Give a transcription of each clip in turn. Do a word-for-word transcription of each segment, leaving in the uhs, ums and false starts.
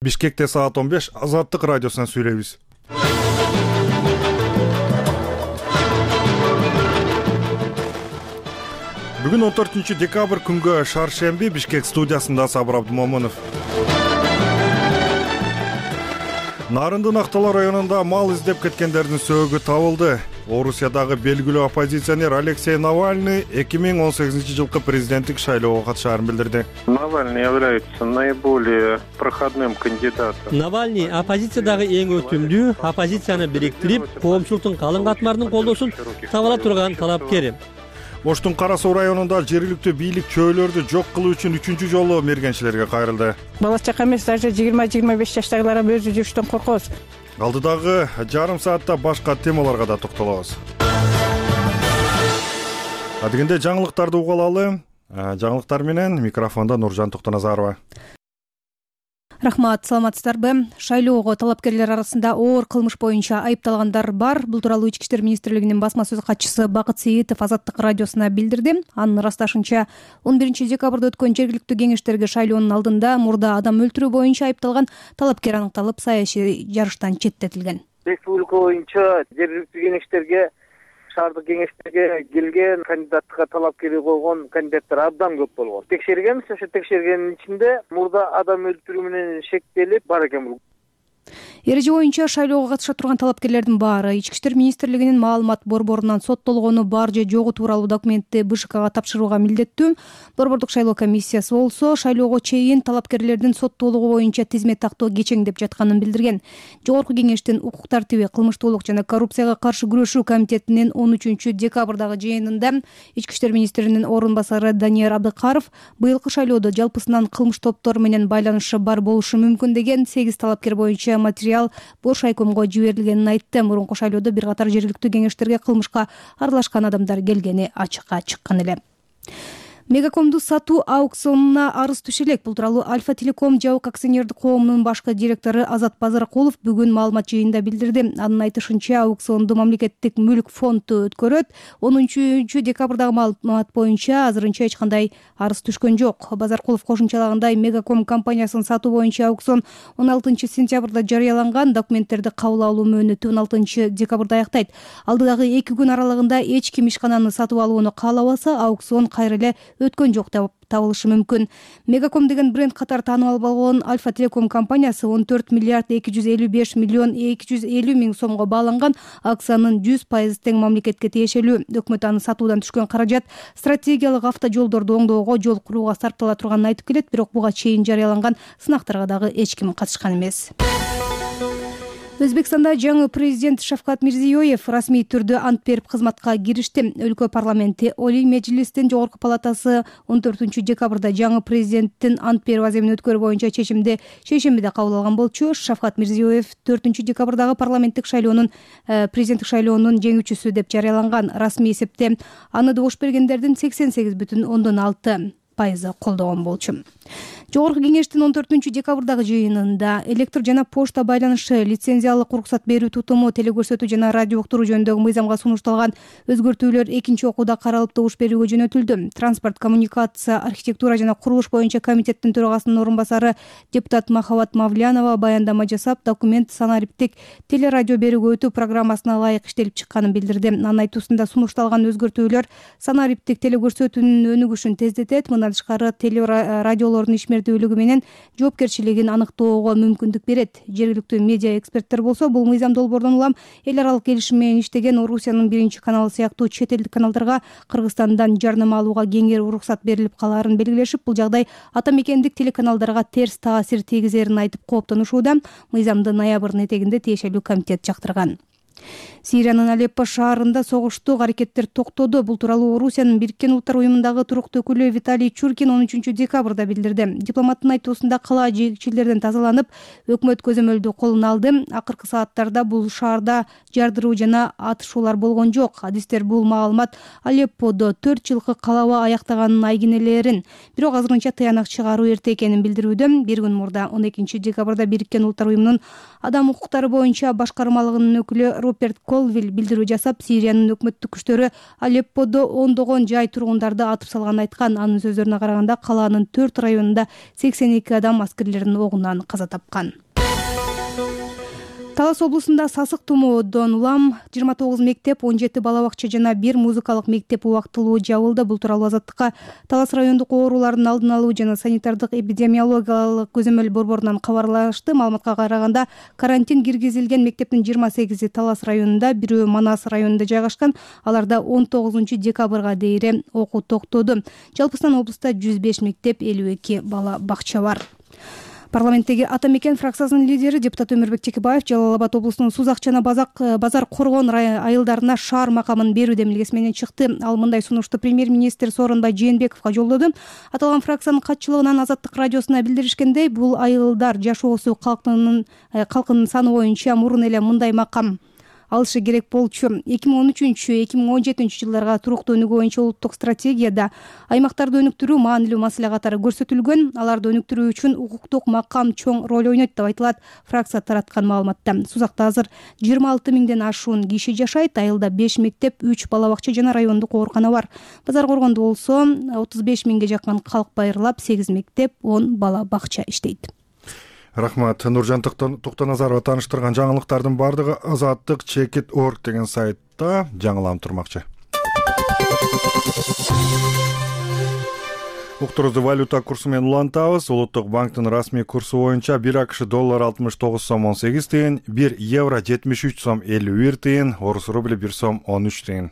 Бишкекте саат он беш Азаттык радиосунан сүйлөйбүз. Бүгүн он төртүнчү декабрь күнгө шаршемби Бишкек студиясында Сабыр Абдумомунов. Нарындын Актала районунда мал издеп кеткендердин сөөгү табылды. Орусиядагы белгилүү оппозиционер Алексей Навальный эки миң он сегизинчи жылкы президенттик шайлоого катышаарын билдирди. Навальный является наиболее проходным кандидатом. Навальный оппозициядагы эң өтүмдүү, оппозицияны бириктирип, коомчулуктун калың катмарынын колдоосун таба ала турган талапкер. Оштун Кара Суу районунда жергиликтүү бийлик чөөлөрдү жок кылуу үчүн үчүнчү жолу мергенчилерге кайрылды. Бала чака эмес, даже жыйырма жыйырма беш жаштагылар өзү жүрүштөн коркобуз. Алдыдагы жарым саатта башка темаларга да токтолобуз. Адегенде жаңылыктарды угалалы. Жаңылыктар менен микрофондо Нуржан Токтоназарова. Рахмат, саламатсыздарбы? Шайлоого талапкерлер арасында оор кылмыш боюнча айыпталгандар бар. Бул тууралуу Ички иштер министрлигинин басма сөз катчысы Бакыт Сейитов Азаттык радиосуна билдирди. Анын ырасташынча, он биринчи декабрда өткөн жергиликтүү кеңештерге шайлоонун алдында мурда адам өлтүрүү боюнча айыпталган талапкер аныкталып, саясий жарыштан четтетилген. Республика боюнча жергиликтүү кеңештерге, шаардык кеңештерге келген кандидатка талапкери койгон кандидаттар абдан көп болгон. Текшергенбиз, ошо текшергендин ичинде мурда адам өлтүрүү менен шектелип бар экен бул. Эреже боюнча шайлоого катыша турган талапкерлердин баары Ички иштер министрлигинин маалымат борборунан соттолгону бар же жогу тууралуу документти БШКга тапшырууга милдеттүү. Борбордук шайлоо комиссиясы болсо шайлоого чейин талапкерлердин соттуулугу боюнча тизмет тактоо кечеңдеп жатканын билдирген. Жогорку кеңештин укук тартиби, кылмыштуулук жана коррупцияга каршы күрөшүү комитетинин он үчүнчү декабрдагы жыйынында Ички иштер министринин орун басары Данияр Абдыкаров быйылкы шайлоодо жалпысынан кылмыш топтору менен байланышы бар болушу мүмкүн деген сегиз талапкер боюнча материал Бош айкомго жиберилгенин айтты. Мурунку шайлоодо бир катар жергиликтүү кеңештерге кылмышка аралашкан адамдар келгени ачыкка чыккан эле. Мегакомду сатуу аукционуна арыз түшө элек. Бул тууралуу Альфа Телеком жабык акционердик коомунун башкы директору Азат Базаркулов бүгүн маалымат жыйынында билдирди. Анын айтышынча, аукционду мамлекеттик мүлк фонду өткөрөт. он үчүнчү декабрдагы маалымат боюнча азырынча эч кандай арыз түшкөн жок. Базаркулов кошумчалагандай, Мегаком компаниясын сатуу боюнча аукцион он алтынчы сентябрда жарыяланган. Документтерди кабыл алуу мөөнөтү он алтынчы декабрда аяктайт. Алдыдагы эки күн аралыгында эч ким ишкананы сатып алууну каалабаса, аукцион кайра эле өткөн жок деп табылышы мүмкүн. Мегаком деген бренд катары таанымал болгон Альфа Телеком компаниясы он төрт миллиард эки жүз элүү беш миллион эки жүз элүү миң сомго бааланган акциянын жүз пайыз тең мамлекетке тиешелүү. Өкмөт аны сатуудан түшкөн каражат стратегиялык автожолдорду оңдоого, жол курууга сарптала турганын айтып келет, бирок буга чейин жарыяланган сынактарга дагы эч ким катышкан эмес. Өзбекстанда жаңы президент Шавкат Мирзиёев расмий түрдө ант берип кызматка киришти. Өлкө парламенти Олий Мejlistин жогорку палатасы он төртүнчү декабрда жаңы президенттин ант берүү аземин өткөрүү боюнча чечимди шейшембиде кабыл алган болчу. Шавкат Мирзиёев төртүнчү декабрдагы парламенттик шайлоонун президенттик шайлоонун жеңүүчүсү деп жарыяланган. Расмий эсепте аны добуш бергендердин сексен сегиз бүтүн ондон алты пайызы колдогон болчу. Жогорку кеңештин он төртүнчү декабрдагы жыйынында электр жана почта байланышы лицензиялык уруксат берүү тутуму, телекөрсөтүү жана радио уктуруу жөнүндөгү мыйзамга сунушталган өзгөртүүлөр экинчи окууда каралып добуш берүүгө жөнөтүлдү. Транспорт, коммуникация, архитектура жана курулуш боюнча комитеттин төрагасынын орун басары депутат Махабат Мавлянова баяндама жасап, документ санариптик телерадио берүүгө өтүү программасына ылайык иштелип чыкканын билдирди. Анын айтуусунда сунушталган өзгөртүүлөр санариптик телекөрсөтүүнүн өнүгүшүн тездетет. Мындан тышкары телерадиолордун ишмердүүлүгү менен жоопкерчилигин аныктоого мүмкүндүк берет. Жергиликтүү медиа эксперттер болсо, бул мыйзам долбоордон улам эл аралык келишим менен иштеген Орусиянын биринчи каналы сыяктуу чет элдик каналдарга Кыргызстандан жарнама алууга кеңири уруксат берилип калаарын белгилешип, бул жагдай ата мекендик телеканалдарга терс таасир тийгизерин айтып кооптонушууда. Мыйзамды ноябрдын этегинде тиешелүү комитет жактырган. Сириянын Алеппо шаарында согуштук аракеттер токтоду. Бул тууралуу Орусиянын Бириккен Улуттар уюмундагы туруктуу өкүлү Виталий Чуркин он үчүнчү декабрда билдирди. Дипломаттын айтуусунда кала жегичилерден тазаланып, өкмөт көзөмөлдү колуна алды. Акыркы сааттарда бул шаарда жардыруу жана атышуулар болгон жок. Адистер бул маалымат Алепподо төрт жылкы калаба аяктаганын айгинелерин, бирок азырынча тыянак чыгаруу эрте экенин билдирүүдө. Бир күн мурда он экинчи декабрда Бириккен Улуттар уюмунун адам укуктары боюнча башкармалыгынын өкүлү Роберт Колвилл билдирүү жасап, Сириянын өкмөттүк күчтөрү Алепподо ондогон жай тургундарды атып салганын айткан. Анын сөздөрүнө караганда, калаанын төрт районунда сексен эки адам аскерлердин огунан каза тапкан. Талас облусунда сасык тумоодон улам жыйырма тогуз мектеп, он жети бала бакча жана бир музыкалык мектеп убактылуу жабылды. Бул тууралуу Азаттыкка Талас райондук оорулардын алдын алуу жана санитардык эпидемиологиялык көзөмөл борборунан кабарлашты. Маалыматка караганда, карантин киргизилген мектептин жыйырма сегизи Талас районунда, бирөө Манас районунда жайгашкан. Аларда он тогузунчу декабрга дейин окуу токтоду. Жалпысынан облуста жүз беш мектеп, элүү эки бала бакча бар. Парламенттеги Ата Мекен фракциясынын лидери депутат Өмүрбек Чекебаев Жалал Абад облусунун Сузак жана Базар Коргон айылдарына шаар макамын берүү демилгеси менен чыкты. Ал мындай сунушту премьер-министр Сооронбай Жээнбековго жолдоду. Аталган фракциянын катчылыгынан Азаттык радиосуна билдиришкендей, бул айылдар жашоосу калкынын калкынын саны боюнча мурун эле мындай макам алышы керек болчу. эки миң он үчүнчү эки миң он жетинчи жылдарга туруктуу өнүгүү боюнча улуттук стратегияда аймактарды өнүктүрүү маанилүү маселе катары көрсөтүлгөн. Аларды өнүктүрүү үчүн укуктук макам чоң роль ойнойт деп айтылат фракция тараткан маалыматта. Сузакта азыр жыйырма алты миңден ашуун киши жашайт. Айылда беш мектеп, үч бала бакча жана райондук оорукана бар. Базар Коргондо болсо отуз беш миңге жакын калк байырлап, сегиз мектеп, он бала бакча иштейт. Рахмат. Нуржан Токтоназарова тааныштырган жаңылыктардын бардыгы азаттык чекит точка орг деген сайтта жаңыланып турмакчы. Уктурубузду валюта курсу менен улантабыз. Улуттук банктын расмий курсу боюнча бир акш доллар алтымыш тогуз сом он сегиз тыйын, бир евро жетимиш үч сом элүү бир тыйын, орус рубли бир сом он үч тыйын.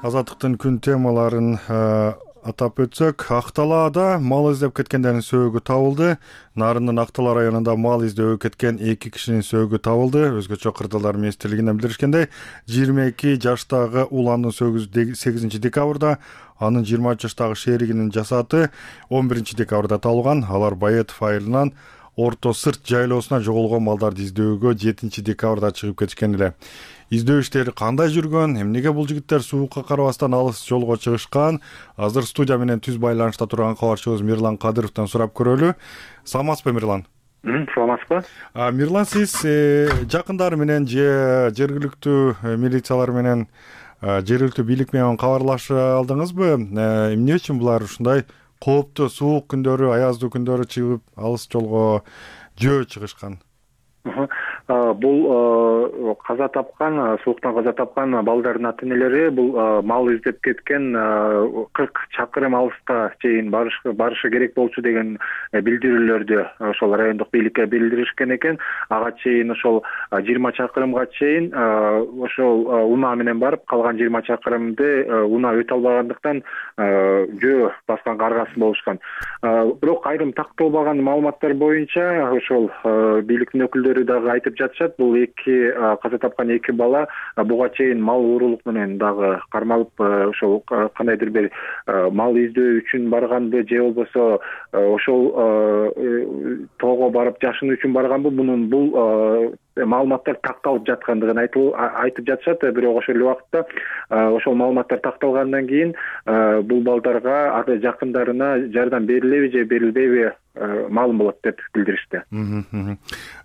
Азаттыктын күн темаларын атап өтсөк, Акталаада мал издеп кеткендердин сөөгү табылды. Нарындын Актала районунда мал издөө кеткен эки кишинин сөөгү табылды. Өзгөчө кырдаалдар министрлигинен билдиришкендей, жыйырма эки жаштагы уландын сөөгү сегизинчи декабрда, анын жыйырма үч жаштагы шеригинин жасаты он биринчи декабрда табылган. Алар Баетов айылынан Орто Сырт жайлоосуна жоголгон малдарды издөөгө жетинчи декабрда чыгып кетишкен эле. Издөө иштери кандай жүргөн, эмнеге бул жигиттер суукка карабастан алыс жолго чыгышкан? Азыр студия менен түз байланышта турган кабарчыбыз Мирлан Кадыровдон сурап көрөлү. Саламатсызбы, Мирлан? Саламатсызбы? Мирлан, сиз жакындары менен же жергиликтүү милициялар менен, жергиликтүү бийлик менен кабарлаша алдыңызбы? Эмне үчүн булар ушундай кооптуу суук күндөрү, аяздуу күндөрү чыгып алыс жолго жөө чыгышкан? Бул каза тапкан, сууктан каза тапкан балдардын ата-энелери бул мал издеп кеткен кырк чакырым алыста чейин барышы керек болчу деген билдирүүлөрдү ошол райондук бийликке билдиришкен экен. Ага чейин ошол жыйырма чакырымга чейин ошол унаа менен барып, калган жыйырма чакырымды унаа өтө албагандыктан жөө баскан каргасын болушкан. Бирок айрым такталбаган маалыматтар боюнча ошол бийликтин өкүлдөрү дагы айтып жатышат, бул эки каза тапкан эки бала буга чейин мал уурулук менен дагы кармалып, ошол кандайдыр бир мал издөө үчүн барганбы, же болбосо ошол тоого барып жашынуу үчүн барганбы, мунун бул маалыматтар такталып жаткандыгын айтып жатышат. Бирок ошол эле убакытта ошол маалыматтар такталгандан кийин бул балдарга жакындарына жардам берилеби же берилбейби маалым болот деп билдиришти.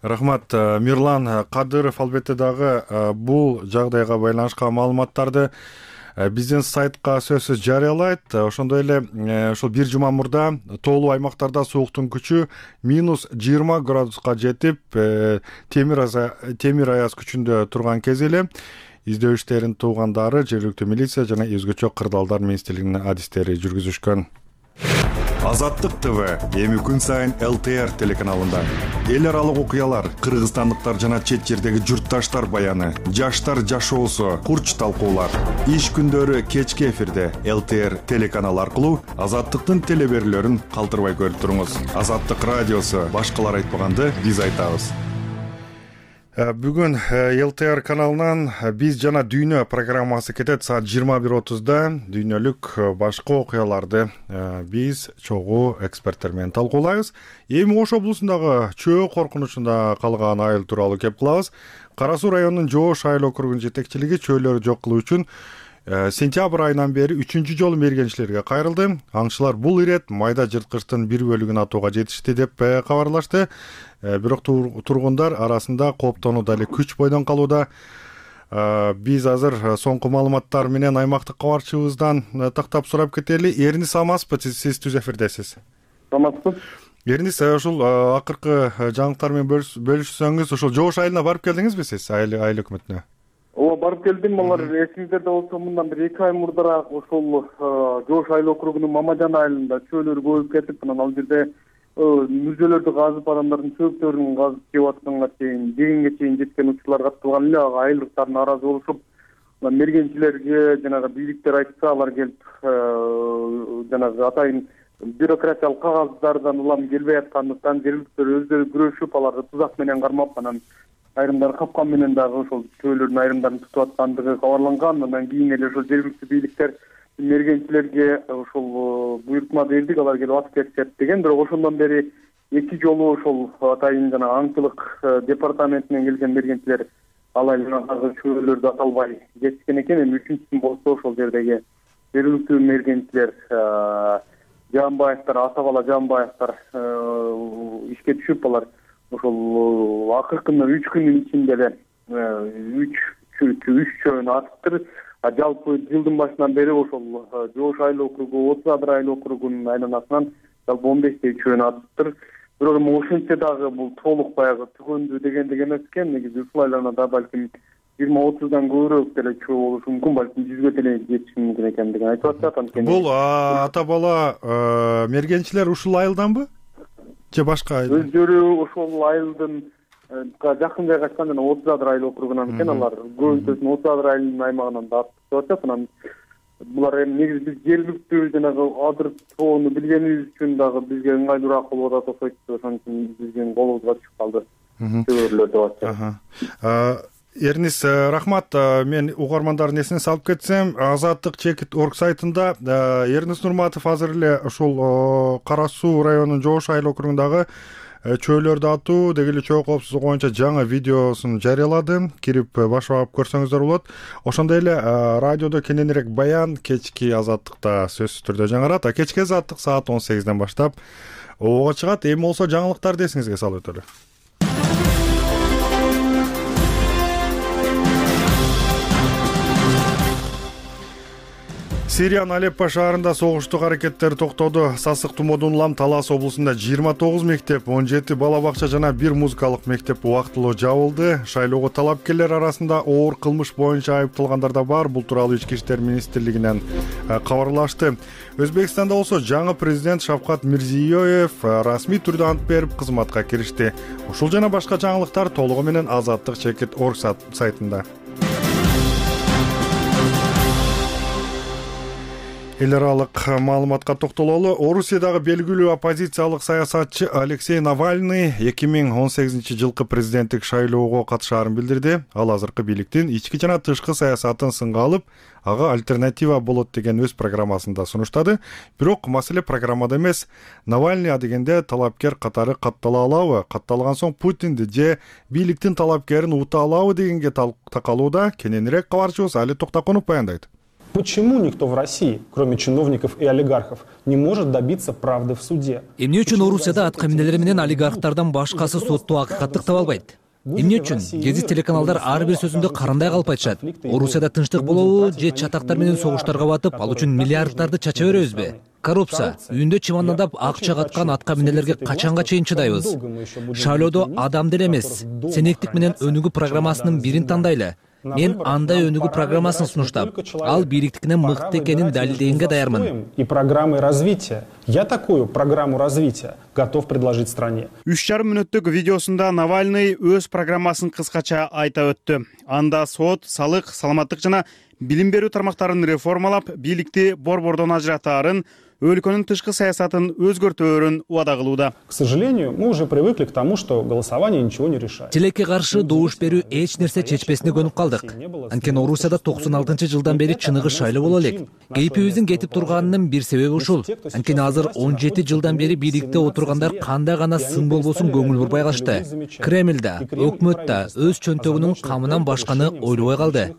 Рахмат. Мирлан Кадыров албетте дагы бул жагдайга байланышкан маалыматтарды биздин сайтка сөзсүз жарыялайт. Ошондой эле ошол бир жума мурда тоолуу аймактарда сууктун күчү минус жыйырма градуска жетип, темир аяз күчүндө турган кез эле издөө иштерин туугандары жергиликтүү милиция жана өзгөчө кырдаалдар министрлигинин адистери жүргүзүшкөн. Азаттык ТВ эми күн сайын эл тэ эр телеканалында эл аралык окуялар, кыргызстандыктар жана чет жердеги журтташтар баяны, жаштар жашоосу, курч талкуулар. Иш күндөрү кечки эфирде эл тэ эр телеканалы аркылуу Азаттыктын телеберүүлөрүн калтырбай көрүп туруңуз. Азаттык радиосу, башкалар айтпаганды биз айтабыз. Бүгүн эл тэ эр каналынан биз жана дүйнө программасы кетет саат жыйырма бир отузда. Дүйнөлүк башка окуяларды биз чогуу эксперттер менен талкуулайбыз. Эми Ош облусундагы чөө коркунучунда калган айыл тууралуу кеп кылабыз. Кара Суу районунун Жоош айыл округунун жетекчилиги чөөлөрдү жок кылуу үчүн Сентябрь айынан бери үчүнчү жолу мергенчилерге кайрылды. Аңчылар бул ирет майда жырткычтын бир бөлүгүн атууга жетишти деп кабарлашты. Бирок тургундар арасында кооптонуу дали күч бойдон калууда. Биз азыр соңку маалыматтар менен аймактык кабарчыбыздан тактап сурап кетели. Эрнис амаспы, сиз түз эфирдесиз. Амаспыз. Эрнис, ушул акыркы жаңылыктар менен бөлүшсөңүз, ушул Жоош айылына барып келдиңизби сиз, айыл айыл өкмөтүнө? Ооба, барып келдим. Алар эсиңиздерде болсо, мындан бир эки ай мурдараак ошол Жоош айыл округунун Мамажан айылында чөөлөр көбөйүп кетип, анан ал жерде мүрзөлөрдү казып, адамдардын чөөптөрүн казып жеп атканга чейин, дегенге чейин жеткен учурлар катталган эле. Ага айылдыктар нааразы болушуп, мергенчилерге жанагы бийликтер айтса, алар келип жанагы атайын бюрократиялык кагаздардан улам келбей аткандыктан жергиликтер өздөрү күрөшүп, аларды тузак менен кармап, анан айрымдары капкан менен дагы ошол чөөлөрдүн айрымдарын тутуп аткандыгы кабарланган. Андан кийин эле ошол жергиликтүү бийликтер мергенчилерге ошол буйртма бердик, алар келип атып кетишет деген. Бирок ошондон бери эки жолу ошол атайын жана аңчылык департаментинен келген мергенчилер ал айылдагы чөөлөрдү аталбай кетишкен экен. Эми үчүнчүсүн болсо ошол жердеги жергиликтүү мергенчилер Жаанбаевтар, ата бала Жаанбаевтар ишке түшүп, алар ошол акыркы үч күндүн ичинде эле үч үч чөөнү атыптыр. Жалпы жылдын башынан бери ошол Жоош айыл округу, отуз адыр айыл округунун айланасынан жалпы он бештей чөөнү атыптыр. Бирок эми ошентсе дагы бул толук баягы түгөндүү дегендик эмес экен. Негизи ушул айланада балким жыйырма отуздан көбүрөөк деле чөө болушу мүмкүн, балким жүзгө деле жетиши мүмкүн экендигин айтып атышат. Анткени бул ата бала мергенчилер ушул айылданбы же башка айыл? Өздөрү ошол айылдын жакын жайгашкан жана отуз адыр айыл округунан экен. Алар көбүнчөсүн отуз адыр айылынын аймагынан да атып атышат. Анан булар эми негизи биз жергиликтүү жанагы адыр тоону билгенибиз үчүн дагы бизге ыңгайлуураак болуп атат окшойт. Ошон үчүн биздин колубузга түшүп калды чөбөрлөр деп атышат. Эрнис, рахмат. Мен угармандардын эсине салып кетсем, Азаттык чекит точка орг сайтында Эрнис Нурматов азыр эле ушул Кара Суу районунун Жоош айыл округундагы чөөлөрдү атуу деги эле чөө коопсуздугу боюнча жаңы видеосун жарыялады. Кирип баш багып көрсөңүздөр болот. Ошондой эле радиодо кененирээк баян кечки Азаттыкта сөзсүз түрдө жаңырат. А кечки Азаттык саат он сегизден баштап ого чыгат. Эми болсо жаңылыктарды эсиңизге салып өтөлү. Сириянын Алеппо шаарында согуштук аракеттер токтоду. Сасык тумоодон улам Талас облусунда жыйырма тогуз мектеп, он жети бала бакча жана бир музыкалык мектеп убактылуу жабылды. Шайлоого талапкерлер арасында оор кылмыш боюнча айыпталгандар да бар. Бул тууралуу Ички иштер министрлигинен кабарлашты. Өзбекстанда болсо жаңы президент Шавкат Мирзиёев расмий түрдө ант берип кызматка киришти. Ушул жана башка жаңылыктар толугу менен Азаттык чекит точка орг сайтында. Эл аралык маалыматка токтололу. Орусиядагы белгилүү оппозициялык саясатчы Алексей Навальный эки миң он сегизинчи жылкы президенттик шайлоого катышаарын билдирди. Ал азыркы бийликтин ички жана тышкы саясатын сынга алып, ага альтернатива болот деген өз программасында сунуштады. Бирок маселе программада эмес. Навальный адегенде талапкер катары каттала алабы, катталган соң Путинди же бийликтин талапкерин ута алабы дегенге такалууда. Кененирээк кабарчыбыз Али Токтакунов баяндайт. Почему никто в России, кроме чиновников и олигархов, не может добиться правды в суде? Эмне үчүн Орусияда ат каминелери менен олигархтардан башкасы сотто акыйкаттык таба албайт? Эмне үчүн гезит телеканалдар ар бир сөзүндө карандай калып айтышат? Орусияда тынчтык болобу же чатактар менен согуштарга батып, ал үчүн миллиардтарды чача беребизби? Коррупция, үйүндө чымандап акча каткан ат каминелерге качанга чейин чыдайбыз? Шайлоодо адам деле эмес, сенектик менен өнүгүү программасынын бирин тандайлы. Мен андай өнүгүү программасын сунуштап, ал бийликтикинен мыкты экенин далилдегенге даярмын. И программой развития. Я такую программу развития готов предложить стране. үч жарым мүнөттүк видеосунда Навальный өз программасын кыскача айта өттү. Анда сот, салык, саламаттык жана билим берүү тармактарын реформалап, бийликти борбордон ажыратаарын, өлкөнүн тышкы саясатын өзгөртөөрүн убада кылууда. К сожалению, мы уже привыкли к тому, что голосование ничего не решает. Тилекке каршы добуш берүү эч нерсе чечпесине көнүп калдык. Анткени Орусияда токсон алтынчы жылдан бери чыныгы шайлоо боло элек. Кейпибиздин кетип турганынын бир себеби ушул. Анткени азыр он жети жылдан бери бийликте отургандар кандай гана сын болбосун көңүл бурбай калышты. Кремльда, өкмөттө өз чөнтөгүнүн камынан башканы ойлобой калды.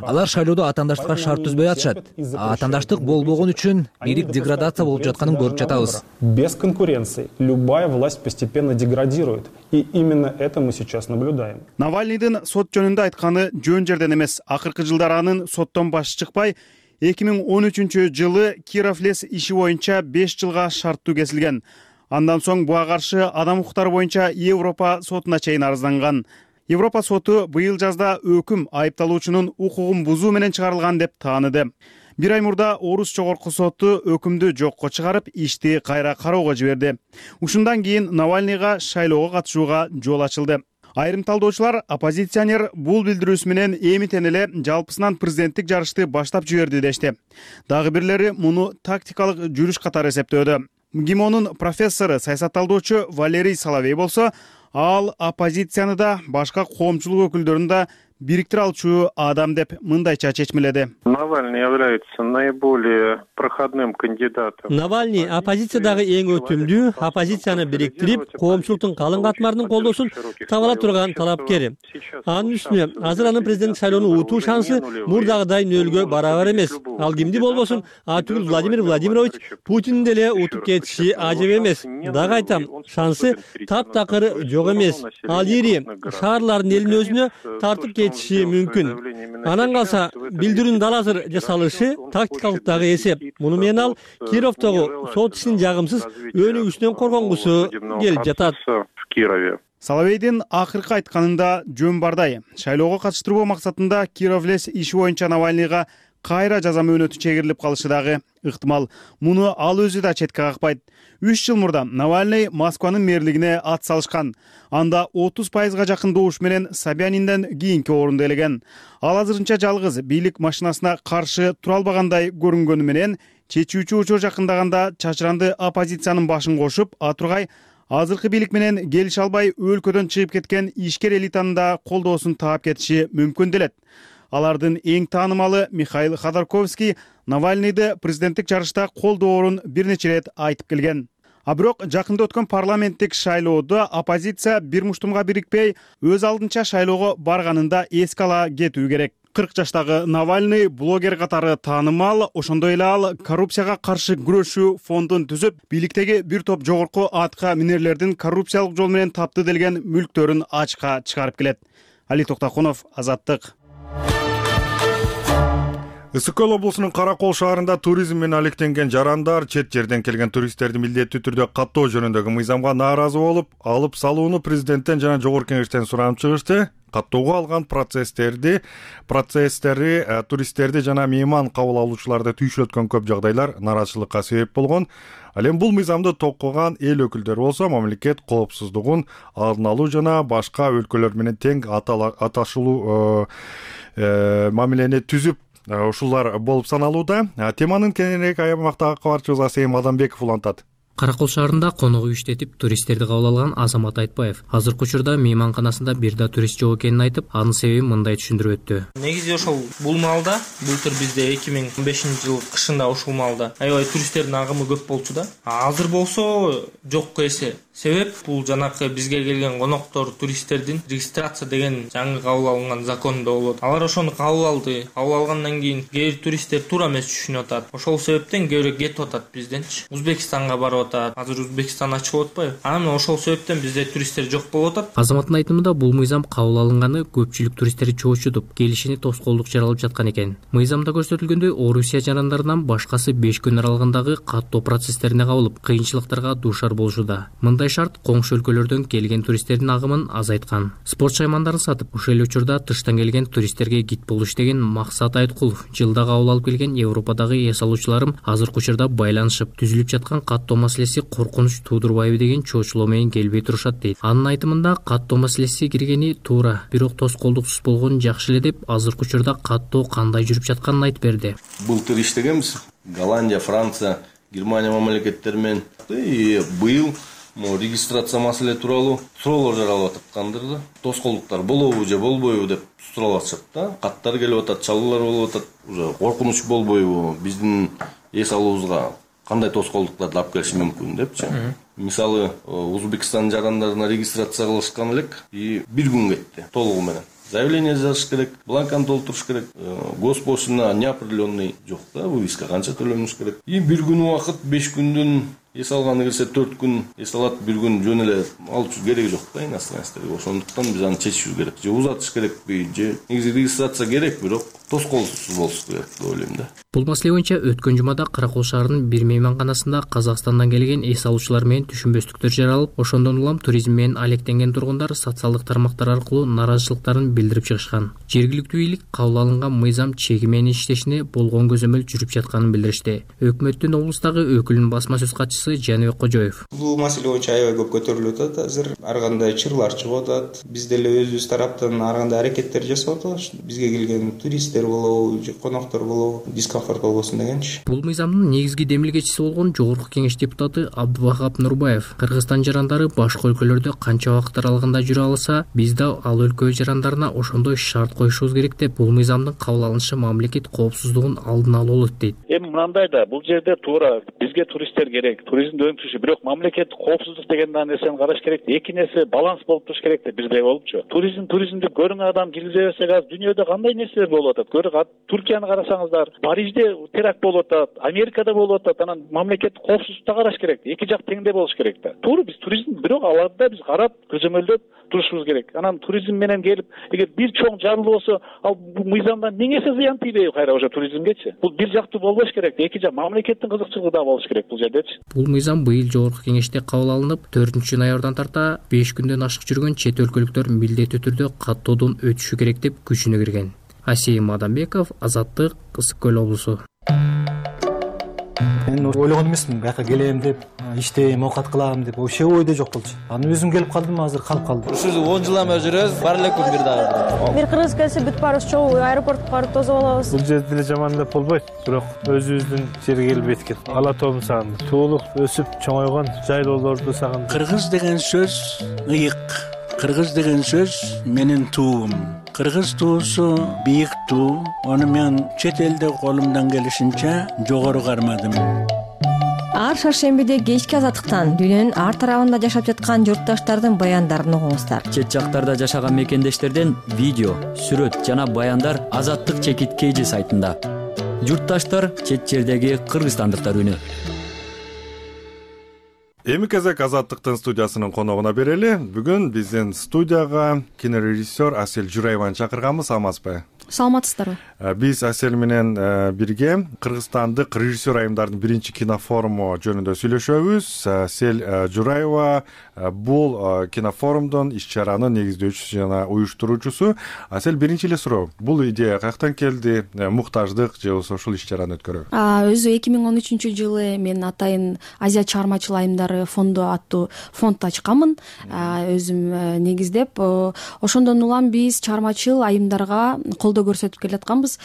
Алар шайлоодо атаандаштыкка шарт түзбөй атышат. Атаандаштык болбогон үчүн бийлик деградация болуп жатканын көрүп жатабыз. Без конкуренции любая власть постепенно деградирует. И именно это мы сейчас наблюдаем. Навальныйдын сот жөнүндө айтканы жөн жерден эмес. Акыркы жылдары анын соттон башы чыкпай, эки миң он үчүнчү жылы Кировлес иши боюнча беш жылга шарттуу кесилген. Андан соң буга каршы адам укуктары боюнча Европа сотуна чейин арызданган. Европа соту быйыл жазда өкүм айыпталуучунун укугун бузуу менен чыгарылган деп тааныды. Бир ай мурда Орус жогорку соту өкүмдү жокко чыгарып, ишти кайра кароого жиберди. Ушундан кийин Навальныйга шайлоого катышууга жол ачылды. Айрым талдоочулар оппозиционер бул билдирүүсү менен эмитен эле жалпысынан президенттик жарышты баштап жиберди дешти. Дагы бирлери муну тактикалык жүрүш катары эсептөөдө. ГИМОнун профессору, саясатталдоочу Валерий Соловей болсо, ал оппозицияны да, башка коомчулук өкүлдөрүн да бириктире алчу адам деп мындайча чечмеледи. Навальный является наиболее проходным кандидатом. Навальный оппозициядагы эң өтүмдүү, оппозицияны бириктирип, коомчулуктун калың катмарынын колдоосун таба ала турган талапкер. Анын үстүнө азыр анын президенттик шайлоону утуу шансы мурдагыдай нөлгө барабар эмес. Ал кимди болбосун, атүгүл Владимир Владимирович Путиндин деле утуп кетиши ажеп эмес. Дагы айтам, шансы таптакыр жок эмес. Ал ири шаарлардын элин өзүнө тартып кетиши мүмкүн. Анан калса билдирүүнүн дал азыр жасалышы тактикалык дагы эсеп. Муну менен ал Кировдогу сот ишин жагымсыз өнүгүшүнөн коргонгусу келип жатат. Соловейдин акыркы айтканында жөн бардай. Шайлоого катыштыруу максатында Кировлес иши боюнча Навальныйга кайра жаза мөөнөтү чегирилип калышы дагы ыктымал. Муну ал өзү да четке какпайт. үч жыл мурда Навальный Москванын мэрлигине ат салышкан. Анда отуз пайызга жакын добуш менен Собянинден кийинки орунду ээлеген. Ал азырынча жалгыз бийлик машинасына каршы тура албагандай көрүнгөнү менен чечүүчү учур жакындаганда чачыранды оппозициянын башын кошуп, атургай азыркы бийлик менен келише албай өлкөдөн чыгып кеткен ишкер элитанын да колдоосун таап кетиши мүмкүн делет. Алардын эң таанымалы Михаил Ходорковский Навальныйды президенттик жарышта колдоорун бир нече рет айтып келген. А бирок жакында өткөн парламенттик шайлоодо оппозиция бир муштумга бирикпей, өз алдынча шайлоого барганында эске ала кетүү керек. кырк жаштагы Навальный блогер катары таанымал, ошондой эле ал коррупцияга каршы күрөшүү фондун түзүп, бийликтеги бир топ жогорку атка минерлердин коррупциялык жол менен тапты делген мүлктөрүн ачка чыгарып келет. Али Токтокунов, Азаттык. Ысык Көл облусунун Каракол шаарында туризм менен алектенген жарандар чет жерден келген туристтерди милдеттүү түрдө каттоо жөнүндөгү мыйзамга нааразы болуп, алып салууну президенттен жана жогорку кеңештен суранып чыгышты. Каттоого алган процесстерди, процесстери туристтерди жана мейман кабыл алуучуларды түйшөлткөн көп жагдайлар нааразычылыкка себеп болгон. Ал эми бул мыйзамды токкогон эл өкүлдөрү болсо, мамлекет коопсуздугун алдын алуу жана башка өлкөлөр менен тең аташылуу мамилени түзүп ушулар болуп саналууда. Теманын кеңирээк аймактагы кабарчыбыз Асейим Адамбеков улантат. Каракол шаарында конок үй иштетип, туристтерди кабыл алган Азамат Айтбаев азыркы учурда мейманканасында бир да турист жок экенин айтып, анын себебин мындай түшүндүрүп өттү. Негизи ошол бул маалда, былтыр бизде эки миң он бешинчи жыл кышында ушул маалда аябай туристтердин агымы көп болчу да. Азыр болсо жокко эсе. Себеп бул жанакы бизге келген коноктор, туристтердин регистрация деген жаңы кабыл алынган закондо болот. Алар ошону кабыл алды. Кабыл алгандан кийин кээ бир туристтер туура эмес түшүнүп атат. Ошол себептен кээ бирөө кетип атат бизденчи. Узбекистанга барып атат. Азыр Узбекистан ачылып атпайбы? Анан ошол себептен бизде туристтер жок болуп атат. Азаматтын айтымында бул мыйзам кабыл алынганы көпчүлүк туристтерди чоочутуп, келишине тоскоолдук жаралып жаткан экен. Мыйзамда көрсөтүлгөндөй, Орусия жарандарынан башкасы беш күн аралыгындагы каттоо процесстерине кабылып, кыйынчылыктарга дуушар болушуда. Мындай шарт коңшу өлкөлөрдөн келген туристтердин агымын азайткан. Спорт шаймандарын сатып, ушул эле учурда тыштан келген туристтерге гид болуш деген Максат Айткулов жылда кабыл алып келген Европадагы эс алуучуларым азыркы учурда байланышып, түзүлүп жаткан каттоо маселеси коркунуч туудурбайбы деген чоочулоо менен келбей турушат дейт. Анын айтымында каттоо маселеси киргени туура, бирок тоскоолдуксуз болгону жакшы эле деп азыркы учурда каттоо кандай жүрүп жатканын айтып берди. Былтыр иштегенбиз. Голландия, Франция, Германия мамлекеттери менен. И быйыл регистрация маселе тууралуу суроолор жаралып аткандыр да. Тоскоолдуктар болобу же болбойбу деп сурап атышат да. Каттар келип атат, чалуулар болуп атат. Уже коркунуч болбойбу, биздин эс алуубузга кандай тоскоолдуктарды алып келиши мүмкүн депчи. Мисалы, Өзбекстан жарандарына регистрация кылышкан элек и бир күн кетти толугу менен. Заявление жазыш керек, бланканы толтуруш керек, госпошлина неопределенный жок да, вывеска канча төлөнүш керек. И бир күн убакыт, беш күндүн эс алганы келсе төрт күн эс алат, бир күн жөн эле алчу кереги жок да иностранецтерге. Ошондуктан биз аны чечишибиз керек. Же узатыш керекпи, же негизи регистрация керек, бирок тоскоолсуз болуш керек деп ойлойм да. Бул маселе боюнча өткөн жумада Каракол шаарынын бир мейманканасында Казакстандан келген эс алуучулар менен түшүнбөстүктөр жаралып, ошондон улам туризм менен алектенген тургундар социалдык тармактар аркылуу нааразычылыктарын билдирип чыгышкан. Жергиликтүү бийлик кабыл алынган мыйзам чеги менен иштешине болгон көзөмөл жүрүп жатканын билдиришти. Өкмөттүн облустагы өкүлүнүн басма сөз катчысы Жаныбек Кожоев. Бул маселе боюнча аябай көп көтөрүлүп атат азыр. Ар кандай чырлар чыгып атат. Биз деле өзүбүз тараптан ар кандай аракеттер жасап атабыз. Бизге келген туристтер болобу, же коноктор болобу, дискомфорт болбосун дегенчи. Бул мыйзамдын негизги демилгечиси болгон Жогорку Кеңеш депутаты Абдувахап Нурбаев Кыргызстан жарандары башка өлкөлөрдө канча убакыт аралыгында жүрө алса, биз да ал өлкө жарандарына ошондой шарт коюшубуз керек деп, бул мыйзамдын кабыл алынышы мамлекет коопсуздугун алдын алуу болот дейт. Эми мындай да, бул жерде туура бизге туристтер керек, туризмди өнүктүрүш, бирок мамлекет коопсуздук деген нерсени караш керек. Эки нерсе баланс болуп туруш керек деп бизде болупчу. Туризм туризмди көрүн адам киргизе берсек, азыр дүйнөдө кандай нерселер болуп атат. Көрүк, Туркияны карасаңыздар, Парижде теракт болуп атат, Америкада болуп атат. Анан мамлекет коопсуздукта караш керек. Эки жак теңдей болуш керек да. Туура биз туризм, бирок аларда биз карап, көзөмөлдөп турушубуз керек. Анан туризм менен келип, эгер бир чоң жарылуу болсо, ал мыйзамдан миңесе зыян тийбейби кайра уже туризмгечи? Бул бир жактуу болбош керек. Эки жак мамлекеттин кызыкчылыгы да болуш керек бул жердечи. Бул мыйзам быйыл Жогорку Кеңеште кабыл алынып, төртүнчү ноябрдан тарта беш күндөн ашык жүргөн чет өлкөлүктөр милдеттүү түрдө каттоодон өтүшү керек деп күчүнө кирген. Асейим Адамбеков, Азаттык, Ысык көл облусу. Мен ойлогон эмесмин, бияка келем деп, иштейм, оокат кылам деп, вообще ойдо жок болчу. Анан өзүм келип калдым, азыр калып калдым. Ушул он жылдан бери жүрөбүз, бар эле күн бир дагы. Бир кыргыз келсе бүт барыбыз чогуу аэропортко барып тосуп алабыз. Бул жерде деле жаман деп болбойт, бирок өзүбүздүн жерге келип эткен. Ала тоомду сагындым. Туулук өсүп чоңойгон жайлоолорду сагындым. Кыргыз деген сөз ыйык. Кыргыз деген сөз менин туум. Кыргыз туусу бийик туу. Аны мен чет элде колумдан келишинче жогору кармадым. Ар шаршембиде кечки азаттыктан дүйнөнүн ар тарабында жашап жаткан журтташтардын баяндарын угуңуздар. Чет жактарда жашаган мекендештерден видео, сүрөт жана баяндар Азаттык чекит кейжи сайтында. Журтташтар чет жердеги кыргызстандыктар үнү. Эми кезек Азаттыктын студиясынын коногуна берели. Бүгүн биздин студияга кинорежиссер Асель Жураеваны чакырганбыз, амазбы? Саламатсыздарбы? Биз Асель менен бирге Кыргызстандык режиссер айымдардын биринчи кинофоруму жөнүндө сүйлөшөбүз. Асель Жураева бул кинофорумдун иш-чаранын негиздөөчүсү жана уюштуруучусу. Асель, биринчи эле суроо, бул идея каяктан келди? Муктаждык же ушул иш-чараны өткөрөбү? Өзү эки миң он үчүнчү жылы мен атайын Азия чыгармачыл айымдары фонду аттуу фонд ачканмын. Өзүм негиздеп, ошондон улам биз чыгармачыл айымдарга колдоо көрсөтүп келатканбыз.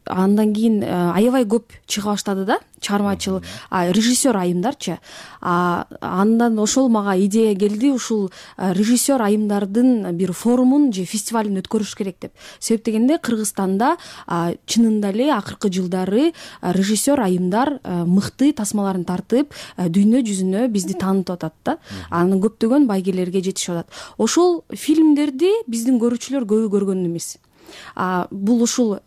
Андан кийин аябай көп чыга баштады да, чыгармачыл режиссер айымдарчы. Андан ошол мага идея келди, ушул режиссер айымдардын бир форумун же фестивалын өткөрүш керек деп. Себеп дегенде Кыргызстанда чынында эле акыркы жылдары режиссер айымдар мыкты тасмаларын тартып, дүйнө жүзүнө бизди таанытып атат да. Анын көптөгөн байгелерге жетишип атат. Ошол фильмдерди биздин көрүүчүлөр көбү көргөн эмес. Бул ушул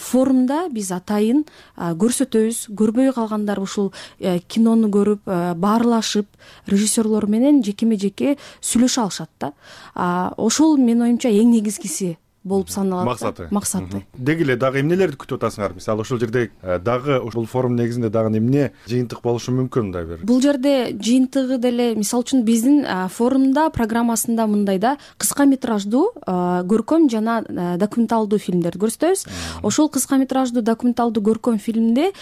форумда биз атайын көрсөтөбүз, көрбөй калгандар ушул кинону көрүп, баарлашып, режиссерлор менен жекеме жеке сүйлөшө алышат да. Ошол менин оюмча эң негизгиси болуп саналат. Максаты. Максаты. Деги эле дагы эмнелерди күтүп атасыңар? Мисалы ушул жерде дагы ушул форум негизинде дагы эмне жыйынтык болушу мүмкүн да бир? Бул жерде жыйынтыгы деле, мисалы үчүн биздин форумда программасында мындай да, кыска метраждуу көркөм жана документалдуу фильмдерди көрсөтөбүз. Ошол кыска метраждуу документалдуу көркөм фильмде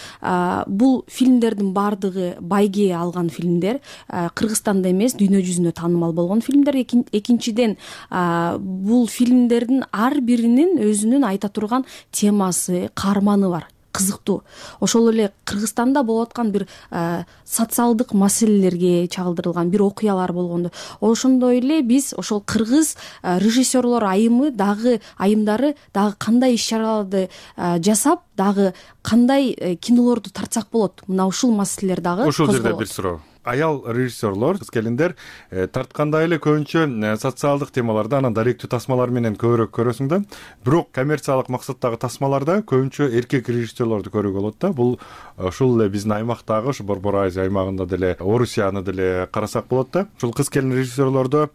бул фильмдердин баардыгы байге алган фильмдер, Кыргызстанда эмес, дүйнө жүзүнө таанымал болгон фильмдер. Экинчиден, бул фильмдердин ар биринин өзүнүн айта турган темасы, каарманы бар. кызыктуу. Ошол эле Кыргызстанда болуп аткан бир социалдык маселелерге чагылдырылган бир окуялар болгондо ошондой эле биз ошол кыргыз режиссерлор айымы дагы айымдары дагы кандай иш чараларды жасап дагы кандай кинолорду тартсак болот, мына ушул маселелер дагы ушул жерде бир суроо. Аял режиссерлор, кыз келиндер тарткандай эле көбүнчө социалдык темаларда, анан даректүү тасмалар менен көбүрөөк көрөсүң да. Бирок коммерциялык максаттагы тасмаларда көбүнчө эркек режиссерлорду көрүүгө болот да. Бул ушул эле биздин аймактагы, ушу Борбор Азия аймагында деле Орусияны деле карасак болот да. Ушул кыз келин режиссерлордо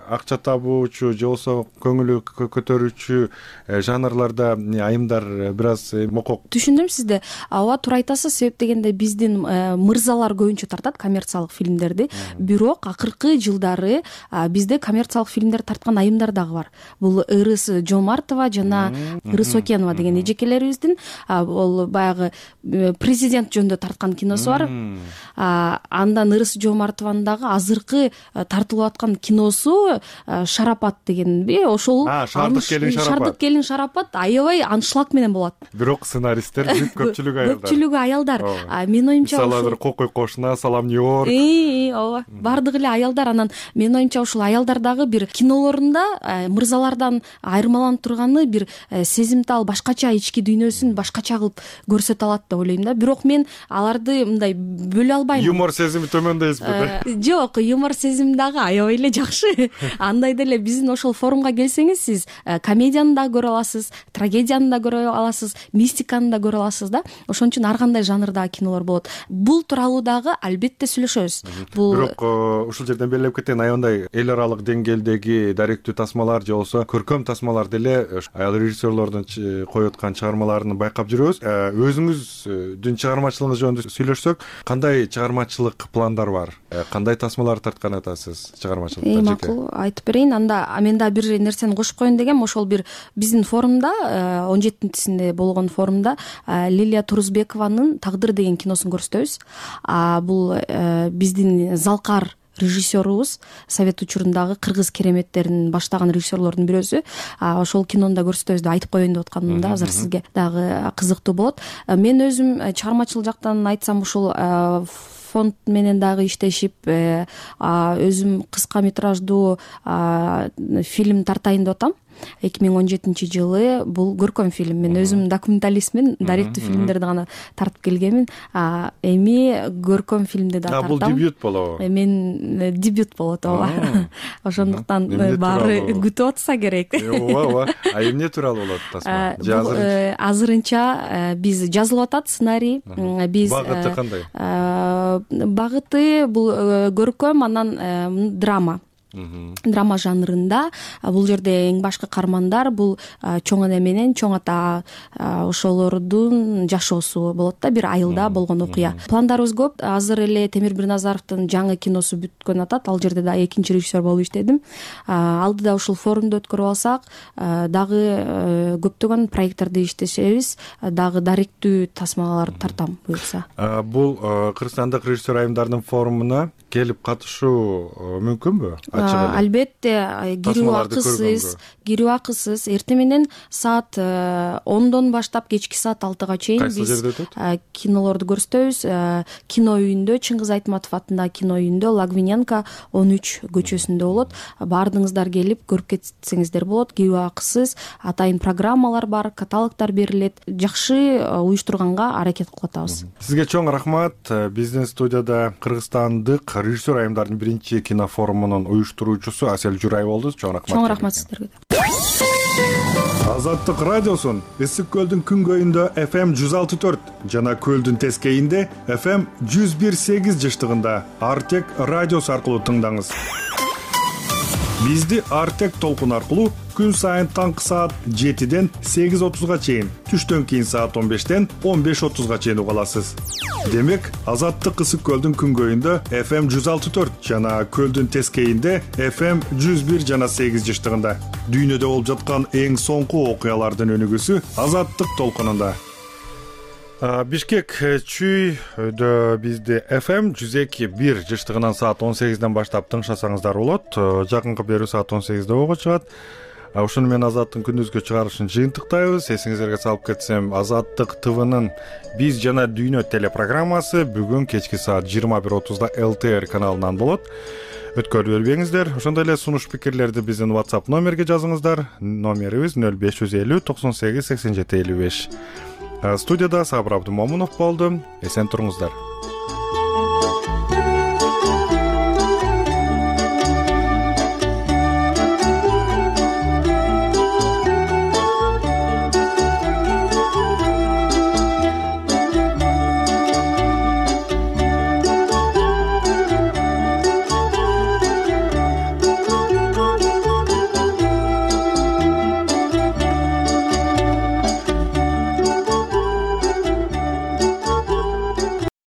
акча табуучу же болбосо көңүлү көтөрүүчү жанрларда айымдар бир аз мокок. Түшүндүм сизди. Ооба, туура айтасыз. Себеп дегенде биздин мырзалар көбүнчө тартат коммерциялык фильмдерди. Бирок акыркы жылдары бизде коммерциялык фильмдер тарткан айымдар дагы бар. Бул Ырыс Жомартова жана Ырыс Окенова деген эжекелерибиздин ал баягы президент жөнүндө тарткан киносу бар. Андан Ырыс Жомартованын дагы азыркы тартылып аткан киносу Шарапат дегенби, ошол Шардык келин Шарапат. Шардык келин Шарапат аябай аншлаг менен болот. Бирок сценаристтер көпчүлүгү аялдар. Көпчүлүгү аялдар. Менин оюмча мисалы Кокой кошуна, Салам Нью-Йорк. Ооба, бардыгы эле аялдар. Анан менин оюмча ушул аялдар дагы бир кинолорунда мырзалардан айырмаланып турганы бир сезимтал башкача ички дүйнөсүн башкача кылып көрсөтө алат деп ойлойм да. Бирок мен аларды мындай бөлө албайм. Юмор сезими төмөн дейсизби? Жок, юмор сезим дагы аябай эле жакшы. Андай деле биздин ошол форумга келсеңиз, сиз комедияны да көрө аласыз, трагедияны да көрө аласыз, мистиканы да көрө аласыз да. Ошон үчүн ар кандай жанрдагы кинолор болот. Бул тууралуу дагы албетте сүйлөшөбүз. Бул бирок ушул жерден белгилеп кетейин, аябай эл аралык деңгээлдеги даректүү тасмалар же болбосо көркөм тасмалар деле аял режиссерлордун коюп аткан чыгармаларын байкап жүрөбүз. Өзүңүздүн чыгармачылыгыңыз жөнүндө сүйлөшсөк, кандай чыгармачылык пландар бар? Кандай тасмалар тарткан атасыз чыгармачылыкта? Макул айтып берейин. Анда мен да бир нерсени кошуп коеюн дегем. Ошол бир биздин форумда он жетинчисинде болгон форумда Лилия Турузбекованын Тагдыр деген киносун көрсөтөбүз. Бул биздин залкар режиссерубуз, совет учурундагы кыргыз кереметтерин баштаган режиссерлордун бирөөсү. Ошол кинону да көрсөтөбүз деп айтып коеюн деп атканым да, азыр сизге дагы кызыктуу болот. Мен өзүм чыгармачылык жактан айтсам, ушул фонд менен дагы иштешип, өзүм кыска метраждуу фильм тартайын деп атам. эки миң он жетинчи жылы бул көркөм фильм. Мен өзүм документалистмин, даректүү фильмдерди гана тартып келгенмин. Эми көркөм фильмди да тартам. Бул дебют болобу? Мен дебют болот, ооба. Ошондуктан баары күтүп атса керек. Ооба, ооба. А эмне тууралуу болот тасма? Азырынча биз жазылып атат сценарий. Биз багыты кандай? Багыты бул көркөм, анан драма. Драма жанрында. Бул жерде эң башкы каармандар бул чоң эне менен чоң ата ошолордун жашоосу болот да, бир айылда болгон окуя. Пландарыбыз көп. Азыр эле Темир Бирназаровдун жаңы киносу бүткөн атат. Ал жерде да экинчи режиссер болуп иштедим. Алдыда ушул форумду өткөрүп алсак, дагы көптөгөн проекттерди иштешебиз, дагы даректүү тасмаларды тартам буюрса. Бул Кыргызстандык режиссер айымдардын форумуна келип катышуу мүмкүнбү? Албетте, кирүү акысыз, кирүү акысыз. Эртең менен саат ондон баштап кечки саат алтыга чейин биз кинолорду көрсөтөбүз. Кино үйүндө, Чыңгыз Айтматов атындагы кино үйүндө, Лагвиненко он үч көчөсүндө болот. Баардыгыңыздар келип көрүп кетсеңиздер болот. Кирүү акысыз, атайын программалар бар, каталогдор берилет. Жакшы уюштурганга аракет кылып атабыз. Сизге чоң рахмат. Биздин студияда Кыргызстандык режиссер айымдардын биринчи кинофорумунун уюштуруучусу Асел Журай болду. Чоң рахмат. Чоң рахмат сиздерге. Азаттык радиосун Ысык көлдүн күнгөйүндө эф эм жүз алты төрт жана көлдүн тескейинде эф эм жүз бир сегиз жыштыгында Артек радиосу аркылуу тыңдаңыз. Бизди Артек толкун аркылуу күн сайын таңкы саат жетиден сегиз отузга чейин, түштөн кийин саат он бештен он беш отузга чейин уга аласыз. Демек, Азаттык Ысык көлдүн күнгөйүндө эф эм жүз алты төрт жана көлдүн тескейинде эф эм жүз бир жана сегиз жыштыгында дүйнөдө болуп жаткан эң соңку окуялардын өнүгүүсү Азаттык толкунунда. Бишкек чүйдө бизде эф эм жүз эки бир жыштыгынан саат он сегизден баштап тыңшасаңыздар болот. Жакынкы берүү саат он сегизде ого чыгат. Ушуну менен Азаттын күндүзгү чыгарышын жыйынтыктайбыз. Эсиңиздерге салып кетсем, Азаттык ТВнын Биз жана дүйнө телепрограммасы бүгүн кечки саат жыйырма бир отузда эл тэ эр каналынан болот. Өткөрүп бербеңиздер. Ошондой эле сунуш пикирлерди биздин WhatsApp номерге жазыңыздар. Номерибиз нөл беш жүз элүү токсон сегиз сексен жети элүү беш. Студияда Сабыр Абдымомунов болду. Эсен туруңуздар.